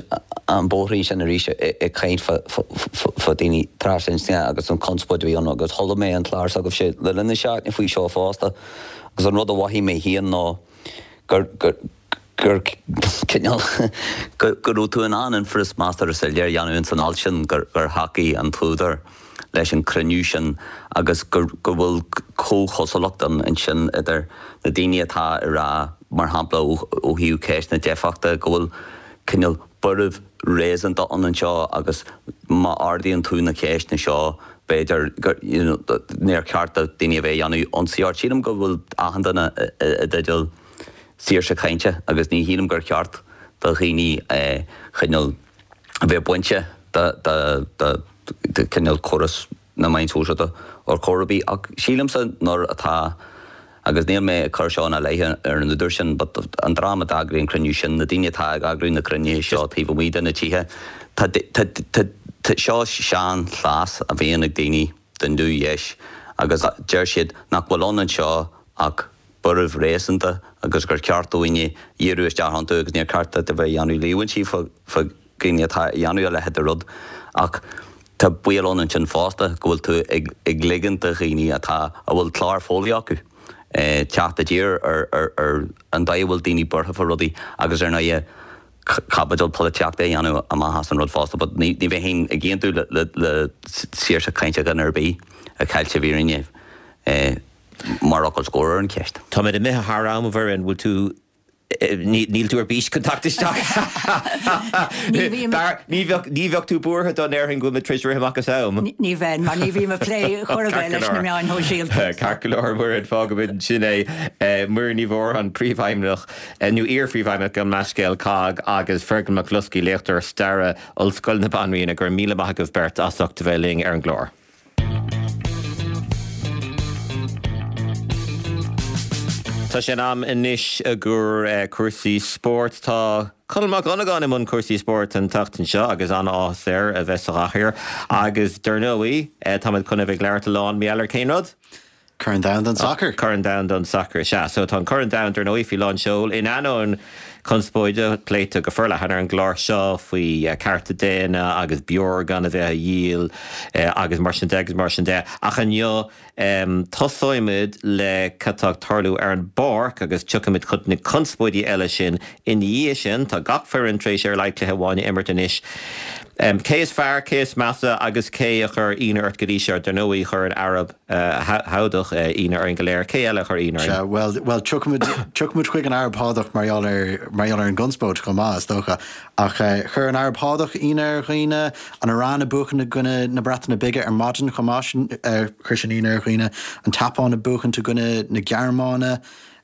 an bóithrín sin arís ag caint fá daoine trasinscne agus an chonspóid a bhí ann agus chuala mé an clár s'agaibhse le linn na seachtaine faoi seo fosta agus an rud a mhothaigh mé féin ná gur gur cineál go raibh tú in ann infreas measartha soiléir a dhéanamh ins an alt sin gur thacaigh an t-údar leis an cruinniú sin agus go bhfuil comhchosúlacht ann ansin idir na daoine atá ag rá, mar shampla, ó thaobh ceist na deifeachta, go bhfuil cineál buaireamh réasúnta ann anseo agus má ardaíonn tú na ceisteanna seo, b'fhéidir gur, you know, níor cheart do daoine a bheith ag déanamh ionsaí ort. Sílim go bhfuil achan duine i dteideal saoirse cainte agus ní shílim gur cheart do dhaoine cineál a bheith bainte de chineál córas na meán sóisialta ar chor ar bith. Ach sílimse nuair atá. Agus níl mé ag cur seo ina leith ar an údar sin, but an dream a d'eagraigh an cruinniú sin, na daoine atá ag eagrú na cruinnithe seo taobh amuigh de na tithe, tá, tá, tá, tá, seo sean-chleas a bhíonn ag daoine den nuadheis agus deir siad nach bhfuil ann anseo ach buaireamh réasúnta agus gur cheart dúinne dhíriú isteach iontu agus níor cheart duit a bheith ag déanamh líomhaintí fá dhaoine atá ag déanamh a leithéid de rud. Ach tá baol ann ansin fosta go bhfuil tú ag ligint do dhaoine atá, a bhfuil clár fóillí acu, teacht i dtír ar an dóigh a bhfuil daoine buartha fá rudaí agus ar ndóighe caibidil polaitíochta a dhéanamh amach as an rud fosta. But ní bheinn ag aontú le saoirse cainte dhuine ar bith a cheilt i bhfírinne. Mar fhocal scóir ar an cheist. Táimid imithe thar am, a Mhuireann, bhfuil tú, níl tú ar bís chun teacht isteach? Ní bhím. Ní bheadh, ní bheadh tú buartha dá ndéarfainn go bhfuil muid tar éis rith amach as am? Ní bheinn, mar ní bhím ag plé chor ar bith leis na meáin shóisialta. Ceart go leor, Muireann, fágfaimid ansin é. Muireann Ní Mhórdha, Príomhfheidhmeannach, nó iar-Phríomhfheidhmeannach, gabh mo leithscéal, COGG, agus Fergal Mac Bhloscaidh, léachtóir staire, Ollscoil na Banríona, go raibh míle maith agaibh beirt as ucht a bheith linn ar an gclár. Tá sé in am anois i gcomhair cúrsaí spóirt. Tá Conall Mac Dhonnagáin i mbun cúrsaí spóirt an tseachtain seo agus an-áthas air a bheith sa gcathaoir. Agus dar ndóigh, táimid chun a bheith ag labhairt a lán mar gheall ar cén rud? Corn Domhanda an tSacair. Corn Domhanda an tSacair, sea. So tá an Corn Domhanda, dar ndóigh, faoi lán seoil. In ainneoin conspóide, pléite go forleathan ar an gclár seo faoi cearta daonna agus beoir gan a bheith á dhíol agus mar sin de agus mar sin de. Ach inniu, tosóimid le cad tá ag tarlú ar an bpáirc agus tiocfaimid chun na conspóidí eile sin ina dhiaidh sin. Tá gach foireann tar éis ar a laghad cluiche amháin a imirt anois. Cé is fearr, cé is measa agus cé a chuir ionadh ort go dtí seo? Dar ndóigh, chuir an Araib Shádach ionadh orainn go léir. Cé eile a chuir ionadh orainn? Sea, bhuel, bhuel, tiocfaimid, tiocfaimid chuig an Araib Shádach mar gheall ar, mar gheall ar an gconspóid chomh maith, is dócha. Ach chuir an Araib Shádach ionadh ar dhaoine, an Iaráin ag buachan i gcoinne na Breataine Bige ar maidin chomh maith, sin, chuir sin ionadh ar dhaoine, an tSeapáin ag buachaint i gcoinne na Gearmáine.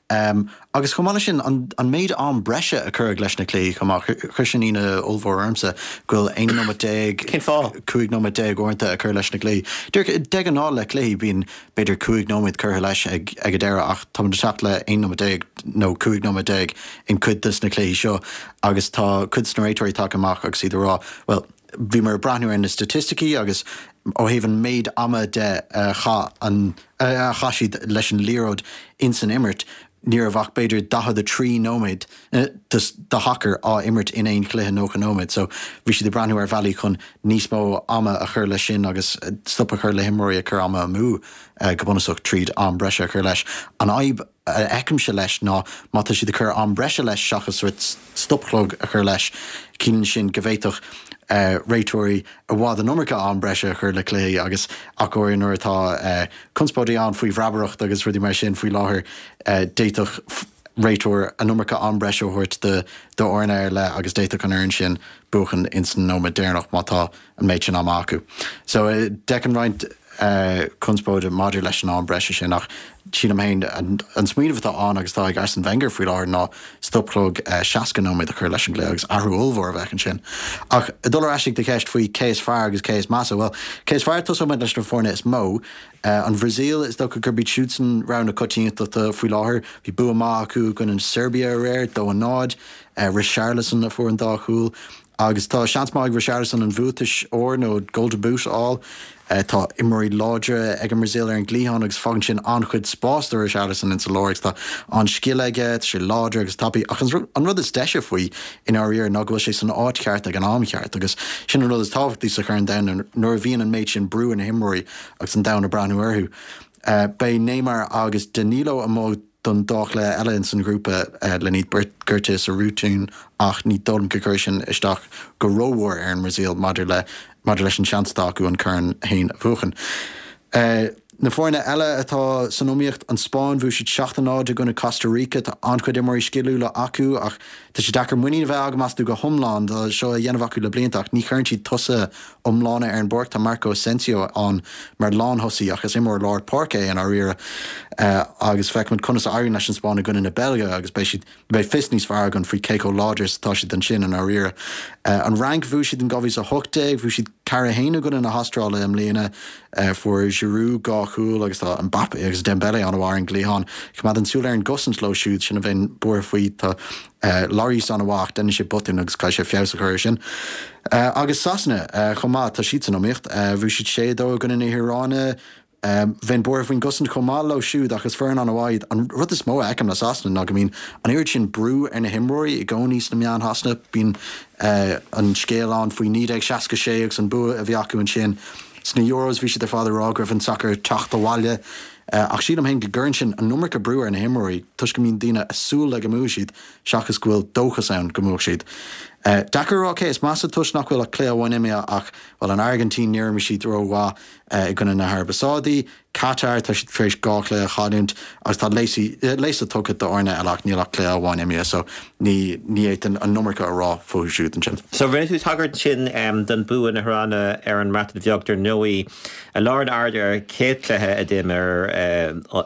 Agus chomh maith leis sin, an méid am breise a cuireadh leis na cluichí chomh maith, chuir sin ionadh ollmhór ormsa go bhfuil 11 nóiméad, Cén fáth? 15 nóiméad uaireanta a cur leis na cluichí. Díreach, de ghnáth le cluichí bíonn b'fhéidir 5 nóiméad curtha leis ag ag an deireadh ach táimid ag teacht le 11 nóiméad nó 15 nóiméad in cuid de na cluichí seo agus tá cuid de na réiteoirí tagtha amach agus iad ag rá, bhuel, bhíomar ag breathnú ar na staitisticí agus ó thaobh an méid ama de a chaith an a chaith siad leis an liathróid ins an imirt, ní raibh ach b'fhéidir 43 nóiméad de shacar á imirt in aon chluiche 90 nóiméad. So bhí siad ag breathnú ar bhealaí chun níos mó ama a chur leis sin agus stop a chur le himreoirí ag cur ama amú go bunúsach tríd am breise a chur leis. An fhadhb a fheicimse leis ná má tá siad ag cur am breise leis seachas stopchlog a chur leis, ciallaíonn sin go bhféadfadh réiteoirí i bhfad an iomarca am breise a chur le cluichí agus ach go háirithe nuair atá conspóidí ann faoi bhreabaireacht agus rudaí mar sin faoi láthair, d'fhéadfadh réiteoir an iomarca am breise a thabhairt d'fhoireann ar leith agus d'fhéadfadh an fhoireann sin buachan ins an nóiméad deireanach má tá an méid sin ama acu. So d'fheicfinn roinnt conspóide maidir leis an am breise sin ach sílim féin an smaoineamh atá ann agus atá ag Arsene Wenger faoi láthair ná stopchlog 60 nóiméad a chur leis an gcluiche agus athrú ollmhór a bheadh ansin. Ach ag dul ar ais ag do cheist faoi cé is fearr agus cé is measa, bhuel, cé is fearr, tosóidh muid leis na foirne is mó. An Bhrasaíl, is dócha gurb iad siúdsan rogha na coitiantachta faoi láthair. Bhí bua maith acu i gcoinne na Seirbia aréir, 2-0. Richarlison a fuair an dá chúl. Agus tá seans maith ag Richarlison an bhuatais óir nó Golden Boot a fháil. Tá imreoirí láidre ag an mBrasaíl ar an gcliathán agus fágann sin an-chuid spáis do Richarlison insa lár agus tá an-scil aige, tá sé láidir agus tapaidh. Ach an rud is deise faoi, i ndáiríre, ná go bhfuil sé san áit cheart ag an am cheart agus sin an rud is tábhachtaí sa Chorn Domhanda nuair a bhíonn an méid sin brú ar na himreoirí agus an domhan ag breathnú orthu. Beidh Neymar agus Danilo amuigh don dá chluiche eile ins an ghrúpa lena iad beirt gortaithe sa rotún ach ní dóigh liom go gcuirfidh sin isteach go rómhór ar an mBrasaíl maidir le maidir leis an seans atá acu an corn féin a bhuachan. Na foirne eile atá san iomaíocht, an Spáinn, bhuaigh siad 7-0 i gcoinne Costa Rica. Tá an-chuid imreoirí sciliúla acu ach tá sé deacair muinín a bheith agam astu go hiomlán. Tá seo á dhéanamh acu le blianta ach ní chuireann siad tosaithe iomlána ar an bpáirc. Tá Marco Asensio ann mar lánthosaí ach is imreoir lár páirce é i ndáiríre agus feicfimid conas a éiríonn leis an Spáinn i gcoinne na Beilge agus beidh siad, beidh fios níos fearr againn faoi cé chomh láidir is atá siad ansin i ndáiríre. An Fhrainc, bhuaigh siad in 2018, bhuaigh siad 4-1 i gcoinne na hAstráile i mbliana. Fuair Giroud 2 chúl agus tá Mbappe agus Dembele an-mhaith ar an gcliathán. Coimeád an súil ar an gcosaint leo siúd, sin a bheinn buartha faoi. Tá Lloris an-mhaith ach déanann sé botúin agus caithfidh sé feabhas a chur air sin. Agus Sasana chomh maith, tá siad san iomaíocht. Bhuaigh siad 6-2 i gcoinne na hIaráine. Bheinn buartha faoin gcosaint chomh maith leo siúd ach is foireann an-mhaith iad. An rud is mó a fheicim le Sasana ná go mbíonn an oiread sin brú ar na himreoirí i gcónaí sna meáin Shasana. Bíonn an scéal ann faoi 1966 agus an bua a bhí acu ansin. Sna Euros bhí siad ar fad ag rá go raibh an sacar ag teacht abhaile. Ach sílim féin go gcuireann sin an iomarca brú ar na himreoirí toisc go mbíonn daoine ag súil le go mbuafaidh siad seachas go bhfuil dóchas ann go mbuafaidh siad. Deacair a rá cé is measa toisc nach bhfuil ach cluiche amháin imithe ach, bhuel, an Airgintín, níor imir siad rómhaith. I gcoinne na hAraibe Sádaí, Catar, tá siad tar éis 2 chluiche a chailliúint agus tá léasadh tugtha d'fhoirne eile ach níl ach cluiche amháin imithe so ní ní fhéadfainn an iomarca a rá fúthu siúd ansin. So rinne tú tagairt ansin don bua na hIaráine ar an mBreatain Bheag dar ndóigh. Lár an aird ar an chéad chluiche a d'imir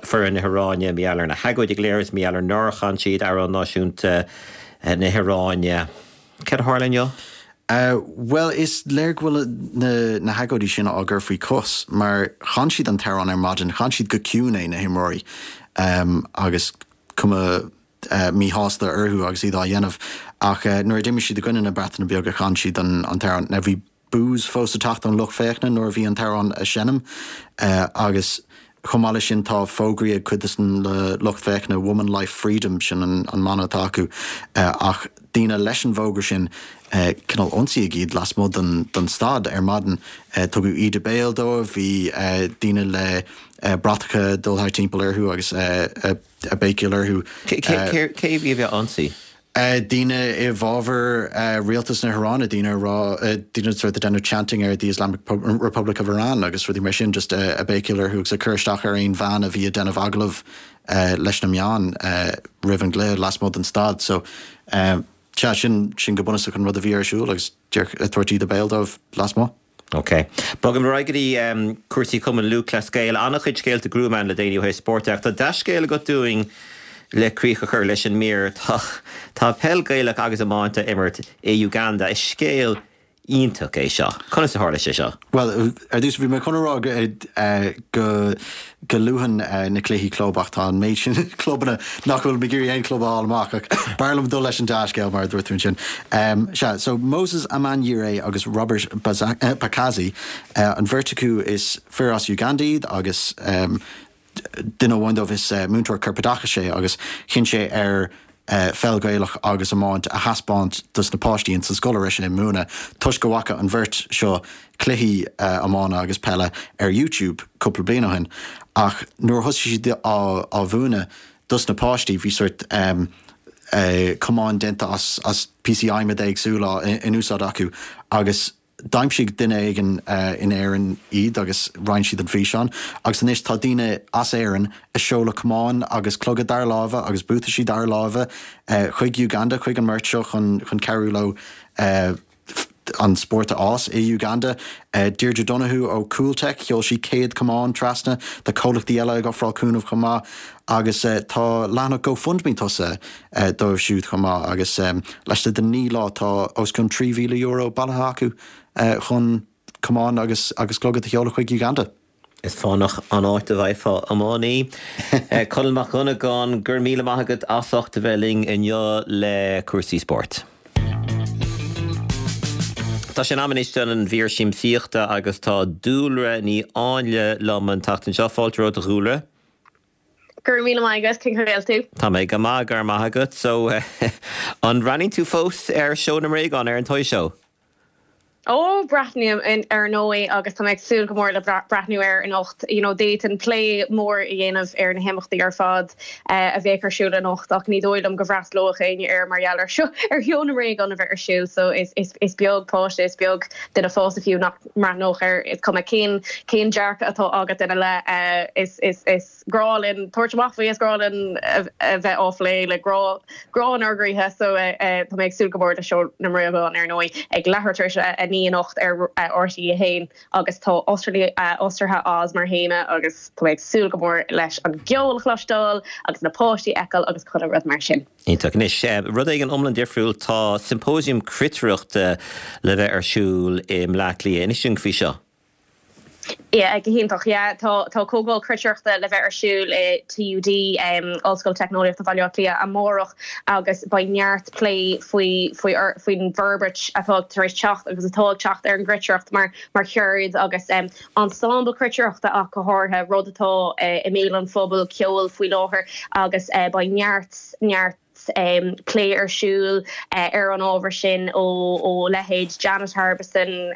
foireann na hIaráine mar gheall ar na hagóidí go léir is mar gheall ar nár chan siad amhrán náisiúnta na hIaráine. Céard a tharla inniu? Bhuel, is léir go bhfuil na hagóidí sin á gcur faoi chos, mar chan siad an t-amhrán ar maidin, chan siad go ciúin é, na himreoirí, agus cuma míshásta orthu agus iad á dhéanamh. Ach nuair a d'imir siad i gcoinne na Breataine Bige, chan siad an t-amhrán. Now bhí boos fós ag teacht ón lucht féachana nuair a bhí an t-amhrán á seinm agus chomh maith leis sin tá fógraí ag cuid de na lucht féachana 'Woman Life Freedom' sin an mana atá acu ach daoine leis an bhfógra sin cineál ionsaíodh iad lasmuigh den staid ar maidin. Tugadh íde béil dóibh, bhí daoine le bratacha ag dul thart timpeall orthu agus ag béicíl orthu. Cé a bhí á ionsaí? Daoine i bhfabhar rialtas na hIaráine, daoine ag rá, daoine sort ag déanamh chanting ar the Islamic Republic of Iran agus rudaí mar sin, just ag béicíl orthu agus ag cur isteach ar aon bhean a bhí ag déanamh agallamh leis na meáin roimh an gcluiche lasmuigh den staid. So, sea, sin, sin go bunúsach an rud a bhí ar siúl agus ag tabhairt íde béil dóibh lasmuigh. Ok. Bogaim ar aghaidh go dtí cúrsaí Chumann Lúthchleas Gael. An-chuid scéalta gruama ann le déanaí ó thaobh spóirt de ach tá dea-scéal agat dúinn le críoch a chur leis an mír. Tá tá peil Gaelach agus iomáint á imirt i Uganda. Is scéal iontach é seo. Conas a tharla sé seo? Bhuel, ar dtús bhí mé chun a rá go go luafainn na cluichí club ach tá an méid sin clubanna nach bhfuil mé ag iarraidh aon club a fháil amach ach b'fhearr liom dul leis an dea-scéal mar a dúirt tú ansin. Sea, so Moses Amanyire agus Robert Bakazi, an bheirt acu is fir as Uganda iad agus duine amháin dóibh is múinteoir corpoideachais é agus chinn sé ar pheil Ghaelach agus iomáint a thaispeáint dos na páistí ins an scoil a raibh sé ag múineadh toisc go bhfaca an bheirt seo cluichí iomána agus peile ar YouTube cúpla bliain ó shin ach nuair a thosaigh siad á mhúineadh dos na páistí bhí sort camáin déanta as píosaí adhmaid éagsúla in úsáid acu agus D'aimsigh duine éigin in Éirinn iad agus roinn siad an físeán agus anois tá daoine as Éirinn ag seoladh camáin agus cloga dara láimhe agus buataisí dara láimhe chuig Uganda, chuig an mbeirt seo chun cabhrú leo an spórt a fhás i Uganda. Deirdre Donoghue ó Cooltech, sheol sí 100 camán trasna. Tá comhlachtaí eile ag ofráil cúnamh chomh maith agus tá leathanach GoFundMe tosaithe dóibh siúd chomh maith agus laistigh de 9 lá tá os cionn €3,000 bailithe acu chun camáin agus agus clogad a sheoladh chuig Uganda. Is fánach an áit a bhfaighfeá iománaí. Conall Mac Dhonnagáin, go raibh míle maith agat as ucht a bheith linn inniu le cúrsaí spóirt. Tá sé in am anois don mhír siamsaíochta agus tá Dúlra Ní Áinle liom an tseachtain seo. Fáilte romhat a Dhúlra. Go raibh míle maith agat, cén chaoi a bhfuil tú? Tá mé go maith, go raibh maith agat. So, an mbreathnaíonn tú fós ar Seó na mBréagán, ar an Toy Show? Ó, breathnaím, ar ndóigh, agus tá mé ag súil go mór le breathnú air anocht. You know, d'fhéadfainn plé mór a dhéanamh ar na himeachtaí ar fad a bheadh ar siúl anocht ach ní dóigh liom go bhfreastalódh éinne air mar gheall ar seo, ar Sheó na mBréagán a bheith ar siúl. So, is, is, is beag páiste, is beag duine fásta fiú nach mbreathnódh air. Is cuma cén, cén dearcadh atá agat ina leith, is, is, is. grá linn tabhairt amach faoi, is grá linn a bheith á phlé le grá, grá inár gcroíthe so tá mé ag súil go mór le Seó na mBréagán ar ndóigh ag leathuair tar éis a 9 anocht ar RTÉ 1 agus tá Ostraithe Oz mar théama agus tá mé ag súil go mór leis an gceol a chloisteáil agus na páistí a fheiceáil agus chuile rud mar sin. Iontach. Anois, rud éigin iomlán difriúil, tá symposium cruitireachta le bheith ar siúl i mBleá Cliath. Inis dúinn faoi seo. Yeah, go hiontach. Yeah, tá tá comhdháil cruitireachta le bheith ar siúl i TUD, Ollscoil Teicneolaíochta Bhaile Átha Cliath, amárach agus beidh neart plé faoi faoi faoin bhforbairt atá tar éis teacht agus atá ag teacht ar an gcruitireacht mar mar cheird agus ensemble cruitireachta ach go háirithe, rud atá i mbéal an phobail ceoil faoi láthair agus beidh neart neart plé ar siúl ar an ábhar sin ó leithéid Janet Harbison,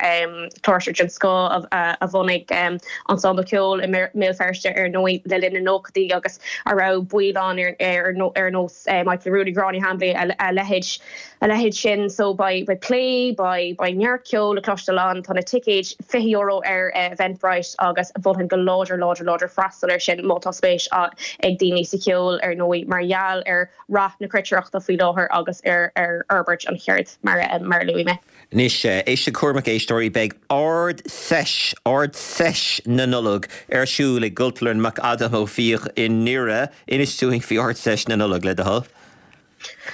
cláirseoir den scoth a bhunaigh ensemble ceoil i mBéal Feirste ar ndóigh le linn na nóchaidí agus a raibh baill ann ar nós Michael Rooney, Gráinne Hambly, a leithéid a leithéid sin. So beidh plé, beidh neart ceoil le cloisteáil ann, tá na ticéid €20 ar Eventbrite agus mholfainn go láidir, láidir, láidir freastal air sin má tá spéis ag daoine sa cheol ar ndóigh mar gheall ar rath na cruitireachta faoi láthair agus ar fhorbairt an cheird mar a luaigh mé. Anois, éist go cúramach éisteoirí, beidh Ard-Seis, Ard-Seis na Nollag ar siúl i gCultúrlann McAdam Ó Fiaich i nDoire. Inis dúinn faoi Ard-Seis na Nollag, le do thoil.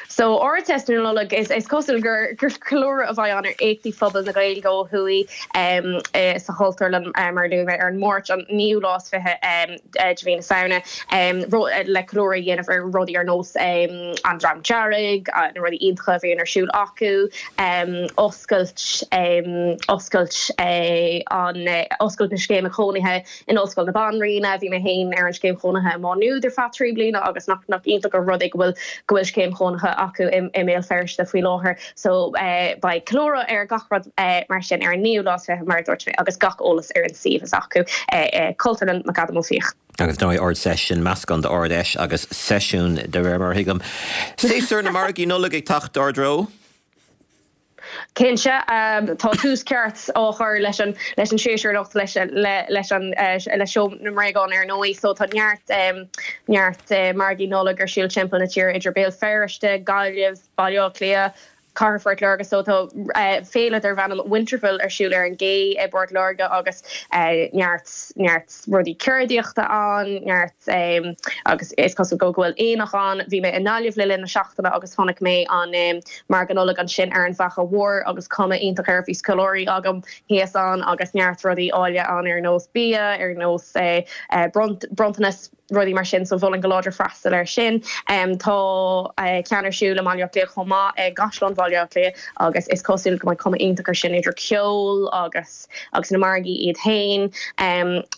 So, Ard-Seis na Nollag, is cosúil gur ceiliúradh a bheidh ann ar éachtaí phobal na Gaeilge ó thuaidh sa Chultúrlann, mar a luaigh mé, ar an Máirt an naoú lá is 20 de mhí na Samhna, le ceiliúradh a dhéanamh ar rudaí ar nós an Dream Dearg, na rudaí iontacha a bhíonn ar siúl acu, oscailt oscailt an oscailt na scéime cónaithe In Ollscoil na Banríona, bhí mé féin ar an scéim chónaithe i Má Nuad ar feadh 3 bliana agus nach nach iontach an rud é go bhfuil go bhfuil scéim chónaithe acu i i mBéal Feirste faoi láthair. So beidh ceiliúradh ar gach rud mar sin ar an naoú lá is 20 mar a dúirt mé agus gach eolas ar an suíomh s'acu, Cultúrlann McAdam Ó Fiaich. Agus ar ndóigh Ard-Seis, sin meascán d'Ard-Fheis agus seisiún de réir mar a thuigim. Séasúr na margaí Nollag ag teacht ár dtreo. Cinnte, tá tús ceart á chur leis an leis an séasúr anocht leis leis an le Seó na mBréagán ar ndóigh so tá neart neart margaí Nollag ar siúl timpeall na tíre idir Béal Feirste, Gaillimh, Baile Átha Cliath, Cathair Phort Láirge so tá féile darb ainm Winterval ar siúl ar an gCé i bPort Láirge agus neart neart rudaí ceardaíochta ann, neart. Agus is cosúil go bhfuil aonach ann. Bhí mé i nGaillimh le linn na seachtaine agus chonaic mé an margadh Nollag ansin ar an bhFaiche Mhór agus cuma iontach air. Bhí scoláirí agam thíos ann agus neart rudaí áille ann ar nós bia, ar nós bronntanas, rudaí mar sin so mholfainn go láidir freastal air sin. Tá ceann ar siúl i mBaile Átha Cliath chomh maith, i gCaisleán Bhaile Átha Cliath agus is cosúil go mbeidh cuma iontach air sin idir ceol agus. agus na margaí iad féin.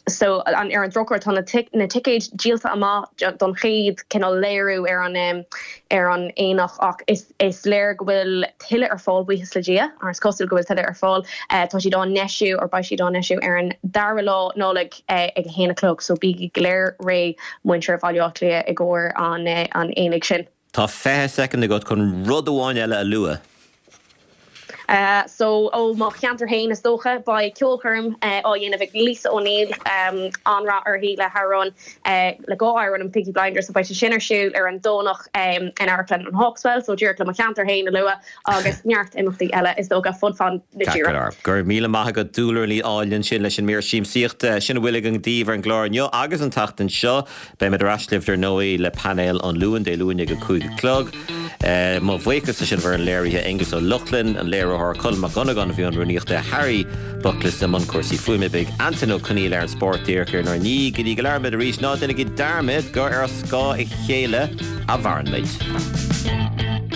So ar an drochuair tá na ticéid díolta amach don chéad cineál léiriú ar an ar an aonach ach is is léir go bhfuil tuilleadh ar fáil, buíochas le Dia, mar is cosúil go bhfuil tuilleadh ar fáil. Tá siad á ndeisiú or beidh siad á ndeisiú ar an dara lá Nollaig ag a haon a chlog so bígí go léir réidh muintir Bhaile Átha Cliath i gcomhair an an aonaigh sin. Tá 20 soicind agat chun rud amháin eile a lua. So, ó mo cheantar féin is dócha, beidh ceolchoirm á dhéanamh ag Lisa O'Neill, an-rath uirthi le hamhrán, le dhá amhrán in Peaky Blinders, so beidh sé sin ar siúl ar an Domhnach in Amharclann an Hawkswell, so díreach le mo cheantar féin a lua, agus neart imeachtaí eile is dócha fud fad na tíre. Go raibh míle maith agat Dúlra Ní Áilne ansin leis an mír siamsaíochta. Sin a bhfuil againn daoibh ar an gclár inniu agus an tseachtain seo. Beimid ar ais libh dar ndóigh le painéal an Luain, Dé Luain ag a 5 a chlog. Mo bhuíochas leis an bhfoireann léirithe, Aengus Ó Lochlainn, an léiritheoir, Colm Mac Dhonnagáin a bhí i mbun rúnaíochta, Harry Buckless i mbun cúrsaí fuaime, beidh Antain Ó Conaola ar an spórt díreach ar ár ndiaidh. Go dtí go labhraímid arís, ná déanaigí dearmad gur ar scáth a chéile a mhaireann muid.